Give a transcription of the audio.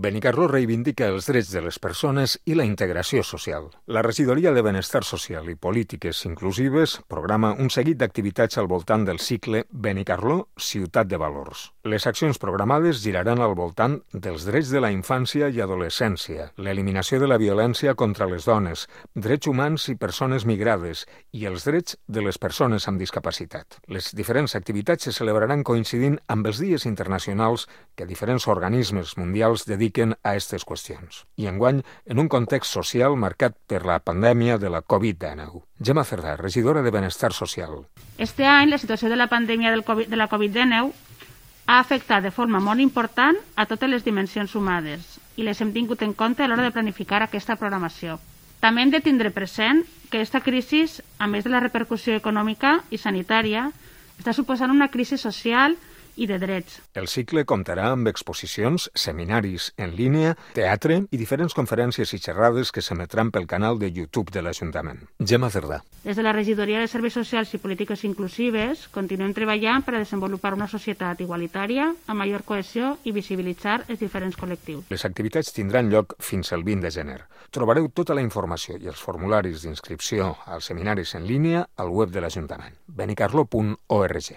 Benicarló reivindica els drets de les persones i la integració social. La Regidoria de Benestar Social i Polítiques Inclusives programa un seguit d'activitats al voltant del cicle Benicarló, Ciutat de Valors. Les accions programades giraran al voltant dels drets de la infància i adolescència, l'eliminació de la violència contra les dones, drets humans i persones migrades i els drets de les persones amb discapacitat. Les diferents activitats se celebraran coincidint amb els dies internacionals que diferents organismes mundials dediquen a aquestes qüestions. I enguany, en un context social marcat per la pandèmia de la Covid-19. Gemma Cerdà, regidora de Benestar Social. Este any, la situació de la pandèmia de la Covid-19 ha afectat de forma molt important a totes les dimensions humanes i les hem tingut en compte a l'hora de planificar aquesta programació. També hem de tindre present que aquesta crisi, a més de la repercussió econòmica i sanitària, està suposant una crisi social i de drets. El cicle comptarà amb exposicions, seminaris en línia, teatre i diferents conferències i xerrades que s'emetran pel canal de YouTube de l'Ajuntament. Gemma Cerdà. Des de la Regidoria de Serveis Socials i Polítiques Inclusives continuem treballant per a desenvolupar una societat igualitària, amb major cohesió i visibilitzar els diferents col·lectius. Les activitats tindran lloc fins al 20 de gener. Trobareu tota la informació i els formularis d'inscripció als seminaris en línia al web de l'Ajuntament, benicarló.org.